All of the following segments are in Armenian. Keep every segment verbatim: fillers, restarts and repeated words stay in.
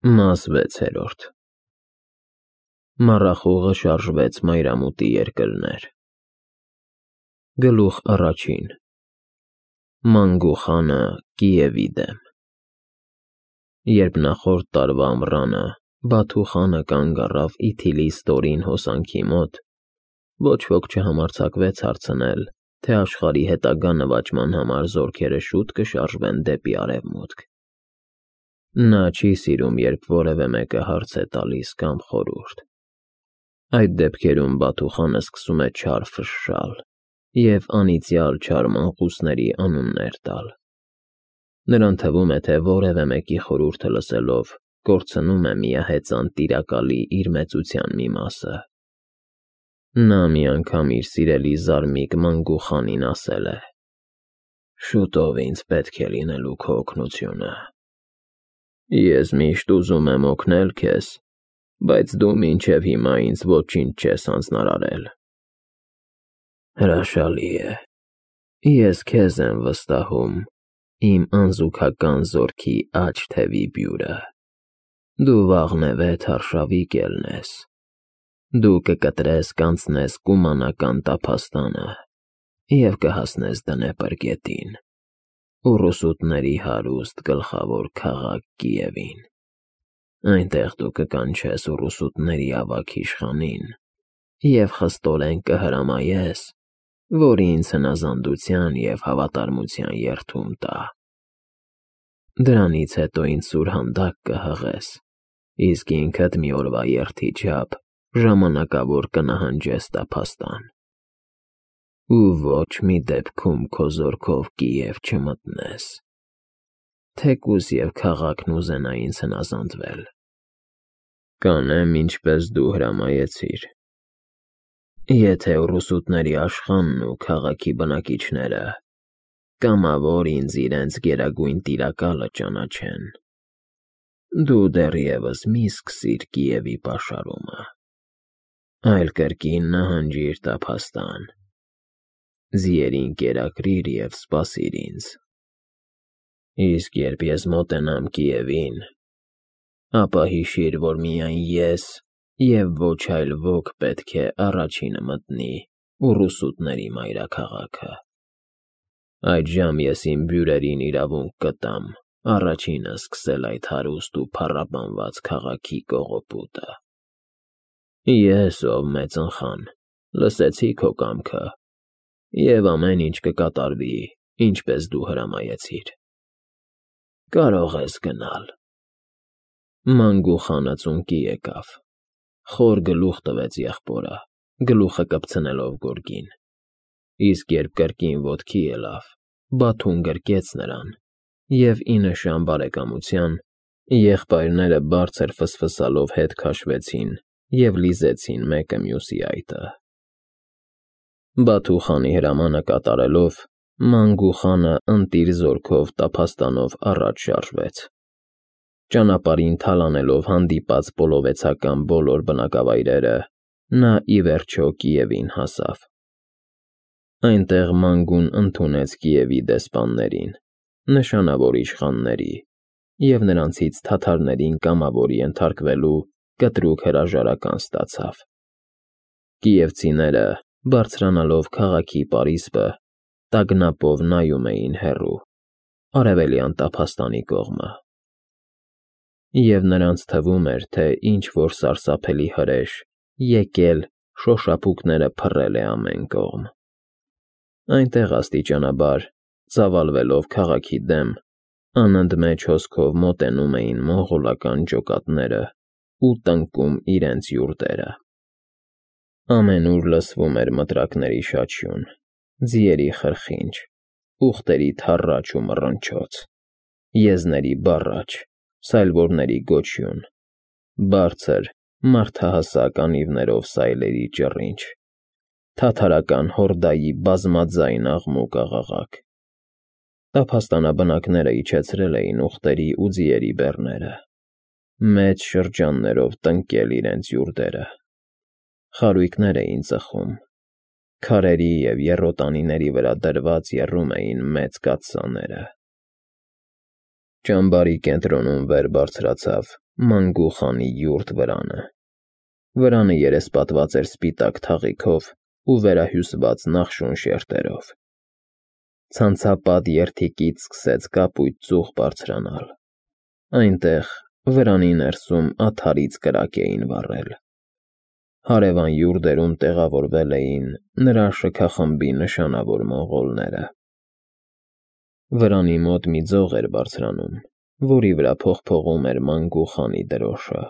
Մաս վեցերորդ Մառախուղը շարժվեց մայրամուտի երկրներ։ Գլուխ առաջին Մանգու խանը Կիևի դեմ։ Երբ նախորդ տարվա ամռանը Բաթու խանը կանգ առավ Իթիլի ստորին հոսանքի մոտ, ոչ ոք չհամարձակվեց հարցնել, թե աշխարհի հետագա նվաճման համար զորքերը շուտ կշարժվեն դեպի արևմուտք։ Նա չի սիրում, երբ որևէ մեկը հարց է տալիս կամ խորհուրդ։ Այդ դեպքերում Բաթու խանը սկսում է չար ֆշշալ և անիծյալ չար մանկուսների անուններ տալ։ Նրան թվում է, թե որևէ մեկի խորհուրդը լսելով կորցնում է միահեծան Տիրակալի իր մեծության մի մասը։ Նա մի անգամ իր սիրելի զարմիկ Մանգու խանին ասել է. «Շուտով ինձ պետք է լինելու քո օգնությունը։ Ես միշտ ուզում եմ օգնել քեզ, բայց դու մինչև հիմա ինձ ոչինչ չես հանձնարարել»։ Հրաշալի է։ Ես քեզ եմ վստահում, իմ անզուգական զորքի աջ թևի բյուրը։ Դու վաղնևեթ արշավի կելն ես։ Դու կկտրես կանցնես կումանական տափաստանը և կհասնես Դնեպր գետին, ուռուսուտների հարուստ գլխավոր քաղաք Կիևին։ Այնտեղ դու կկանչես ուռուսուտների ավագ իշխանին և խստորեն կհրամայես, որ ինձ հնազանդության և հավատարմության երդում տա։ Դրանից հետո ինձ սուրհանդակ կհղես, իսկ ինքդ մի օրվա երթի չափ ժամանակավոր կնահանջես տափաստան։ Ու ոչ մի դեպքում քո զորքով Կիև չմտնես, թեկուզ և քաղաքն ուզենա ինձ հնազանդվել։ Կանեմ ինչպես դու հրամայեցիր։ Եթե ուռուսուտների իշխանն ու քաղաքի բնակիչները կամավոր ինձ իրենց գերագույն տիրակալը ճանաչեն, դու դեռևս մի սկսիր Կիևի պաշարումը, այլ կրկին նահանջիր տափաստան, ձիերին կերակրիր և սպասիր ինձ։ Իսկ երբ ես մոտենամ Կիևին, ապա հիշիր, որ միայն ես և ոչ այլ ոք պետք է առաջինը մտնի ուռուսուտների մայրաքաղաքը։ Այդժամ ես իմ բյուրերին իրավունք կտամ առաջինը սկսել այդ հարուստ ու փառաբանված քաղաքի կողոպուտը։ Ես, ով մեծնխան, լսեցի քո կամքը, և ամեն ինչ կկատարվի, ինչպես դու հրամայեցիր։ Կարող ես գնալ։ Մանգու խանը ծունկի եկավ, խոր գլուխ տվեց եղբորը, գլուխը կպցնելով գորգին, իսկ երբ կրկին ոտքի ելավ, Բաթուն գրկեց նրան, և ի նշան բարեկամության եղբայրները բարձր ֆսֆսալով հետ քաշվեցին և լիզեցին մեկը մյուսի այտը։ Բաթու խանի հրամանը կատարելով, Մանգու խանը ընտիր զորքով տափաստանով առաջ շարժվեց։ Ճանապարհին թալանելով հանդիպած պոլովեցական բոլոր բնակավայրերը, նա ի վերջո Կիևին հասավ։ Այնտեղ Մանգուն ընդունեց Կիևի դեսպաններին, նշանավոր իշխանների, և նրանցից թաթարներին կամավոր ենթարկվելու կտրուկ հրաժարական ստացավ։ Կիևցիները, բարձրանալով քաղաքի պարիսպը, տագնապով նայում էին հեռու, արևելյան տափաստանի կողմը։ Եվ նրանց թվում էր, թե ինչ-որ սարսափելի հրեշ եկել շոշափուկները փռել է ամեն կողմ։ Այնտեղ աստիճանաբար, ծավալվելով քաղաքի դեմ, անընդմեջ հոսքով մոտենում էին մոնղոլական ջոկատները ու տնկում իրենց յուրտերը։ Ամենուր լսվում էր մտրակների շաչյուն, ձիերի խրխինջ, ուղտերի թառաչ ու մռնչոց, եզների բառաչ, սայլորների գոչյուն, բարձր, մարդահասակ անիվներով սայլերի ճռինչ, թաթարական հորդայի բազմաձայն աղմուկ֊աղաղակ։ Տափաստանաբնակները իջեցրել էին ուղտերի ու ձիերի բեռները, մեծ շրջաններով տնկել իրենց յուրտերը։ Խարույկներ էին ծխում, քարերի և եռոտանիների վրա դրված եռում էին մեծ կաթսաները։ Ճամբարի կենտրոնում վեր բարձրացավ Մանգու խանի յուրտ վրանը։ Վրանը երեսպատված էր սպիտակ թաղիքով ու վերահյուսված նախշուն շերտերով։ Ցանցապատ երթիկից սկսեց կապույտ ծուխ բարձրանալ։ Այնտեղ, վրանի ներսում աթարից կրակ էին վառել։ Հարևան յուրտերում տեղավորվել էին նրա շքախմբի նշանավոր մոնղոլները։ Վրանի մոտ մի ձող էր բարձրանում, որի վրա փողփողում էր Մանգու խանի դրոշը։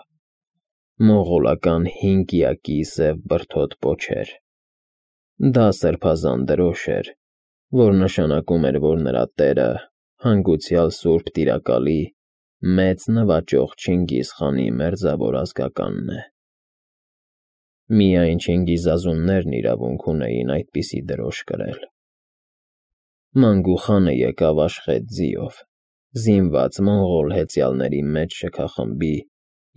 Մոնղոլական հին կիակի սև բրդոտ պոչեր։ Դա սրբազան դրոշ էր, որ նշանակում էր, որ նրա տերը հանգուցյալ Սուրբ Տիրակալի մեծ նվաճող Չինգիզ խանի մերձավոր ազգականն է։ Միայն չինգիզազուններն իրավունք ունեին այդպիսի դրոշ կրել։ Մանգու խանը եկավ աշխետ ձիով, զինված մոնղոլ հեծյալների մեծ շքախմբի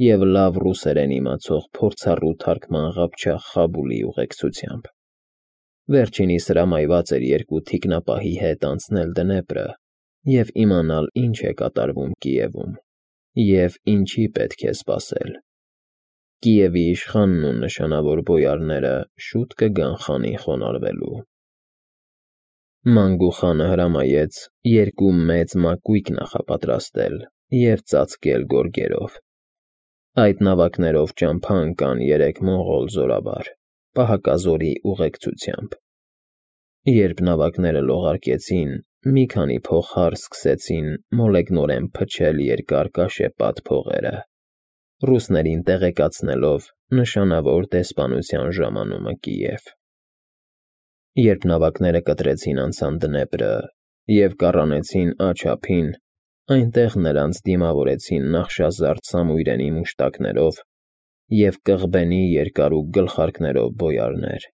և լավ ռուսերեն իմացող փորձառու թարգման Ղափչախ Խաբուլի ուղեկցությամբ։ Վերջինիս հրամայված էր երկու թիկնապահի հետ անցնել Դնեպրը և իմանալ, ինչ է կատարվում Կիևում և ինչի պետք է սպասել։ Կիևի իշխանն ու նշանավոր բոյարները շուտ կգան խանին խոնարհվելու։ Մանգու խանը հրամայեց երկու մեծ մակույկ նախապատրաստել և ծածկել գորգերով։ Այդ նավակներով ճամփա ընկան երեք մոնղոլ զորավար՝ պահակազորի ուղեկցությամբ։ Երբ նավակները լողարկեցին, մի քանի փողահար սկսեցին մոլեգնորեն փչել երկար կաշեպատ փողերը, ռուսներին տեղեկացնելով նշանավոր դեսպանության ժամանումը Կիև։ Երբ նավակները կտրեցին անցան Դնեպրը և կառանեցին Աջ ափին, այնտեղ նրանց դիմավորեցին նախշազարդ սամույրենի մուշտակներով և կղբենի երկարու գլխարկներով բոյարներ։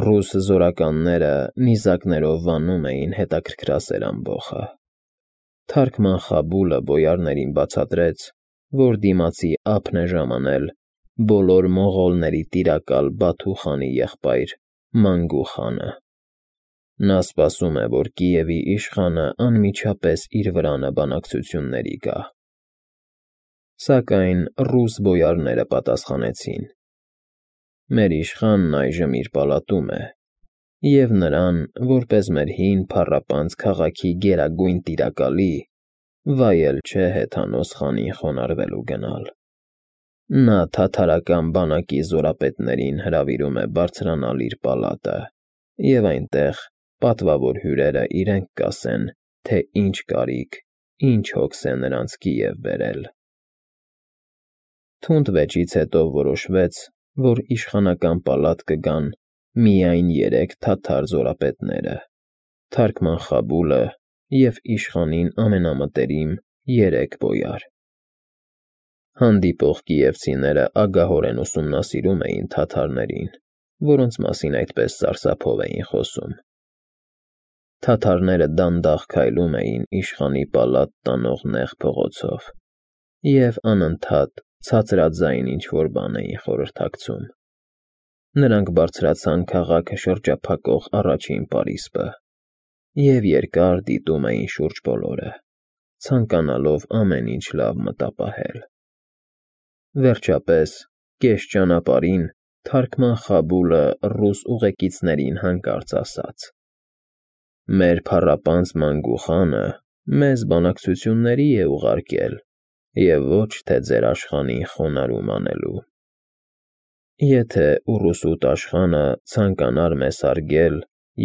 Ռուս զորականները նիզակներով վանում էին հետաքրքրասեր ամբոխը։ Թարգման Խաբուլը բոյարներին բացատրեց, որ դիմացի ափն է ժամանել բոլոր մոնղոլների տիրակալ Բաթու խանի եղբայր Մանգու խանը։ Նա սպասում է, որ Կիևի իշխանը անմիջապես իր վրանը բանակցությունների գա։ Սակայն ռուս բոյարները պատասխանեցին. «Մեր իշխանն այժմ իր պալատում է, և նրան, որպես մեր հին փառապանծ քաղաքի գերագույն տիրակալի, վայել չէ հեթանոս խանին խոնարհվելու գնալ։ Նա թաթարական բանակի զորապետներին հրավիրում է բարձրանալ իր պալատը և այնտեղ պատվավոր հյուրերը իրենք կասեն, թե ինչ կարիք, ինչ հոգս է նրանց Կիև բերել»։ Թունդ վեճից հետո որոշվեց, որ իշխանական պալատ կգան միայն երեք թաթար զորապետները՝ թարգման Խաբուլը և իշխանին ամենամտերիմ երեք բոյար։ Հանդիպող կիևցիները ագահորեն ուսումնասիրում էին թաթարներին, որոնց մասին այդպես սարսափով էին խոսում։ Թաթարները դանդաղ քայլում էին իշխանի պալատ տանող նեղ փողոցով և անընդհատ ցածրաձայն ինչ-որ բան էին խորհրդակցում։ Նրանք բարձրացան քաղաքը շրջափակող առաջին պարիսպը և երկար դիտում էին շուրջ բոլորը, ցանկանալով ամեն ինչ լավ մտապահել։ Վերջապես, կես ճանապարհին թարգման Խաբուլը ռուս ուղեկիցներին հանկարծ ասաց. «Մեր փառապանծ Մանգու խանը մեզ բանակցությունների է ուղարկել և ոչ թե ձեր աշխանին խոնարհում անելու։ Եթե ուռուսուտ աշխանը ցանկանար մեզ հարգել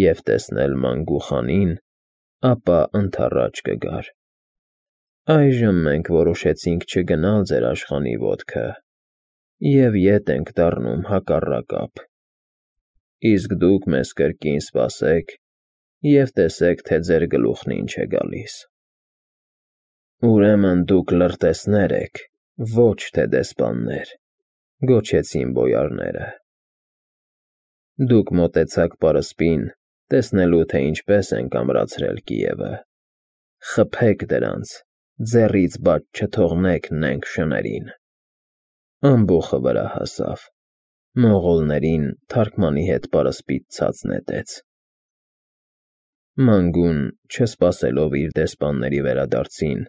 և տեսնել Մանգու խանին, ապա ընդառաջ կգար։ Այժմ մենք որոշեցինք չգնալ ձեր աշխանի ոտքը և ետ ենք դառնում հակառակ ափ։ Իսկ դուք մեզ կրկին սպասեք և տեսեք, թե ձեր գլուխն ինչ է գալիս»։ «Ուրեմն դուք լրտեսներ եք, ոչ թե դեսպաններ», գոչեցին բոյարները։ «Դուք մոտեցաք պարսպին, տեսնելու, թե ինչպես ենք ամրացրել Կիևը։ Խփեք դրանց, ձեռից բաց չթողնեք նենգ շներին»։ Ամբոխը վրա հասավ։ Մոնղոլներին թարգմանի հետ պարսպից ցած նետեց։ Մանգուն, չսպասելով իր դեսպանների վերադարձին,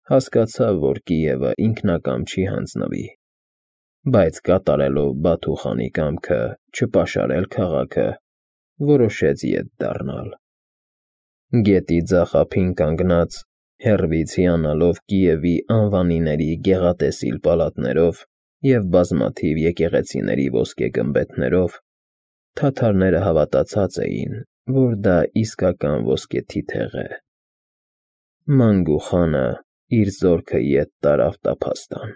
Հասկացավ, որ Կիևը ինքնակամ չի հանձնվի, բայց կատարելով Բաթու խանի կամքը չպաշարել քաղաքը, որոշեց ետ դառնալ։ Գետի ձախ ափին կանգնած, հեռվից հիանալով Կիևի անվանիների գեղատեսիլ պալատներով և բազմաթիվ եկեղեցիների ոսկե գմբեթներով, թաթարները հավատացած էին, որ դա իսկական ոսկե թիթեղ է։ Մանգու խանը իր զորքը ետ տարավ տափաստան։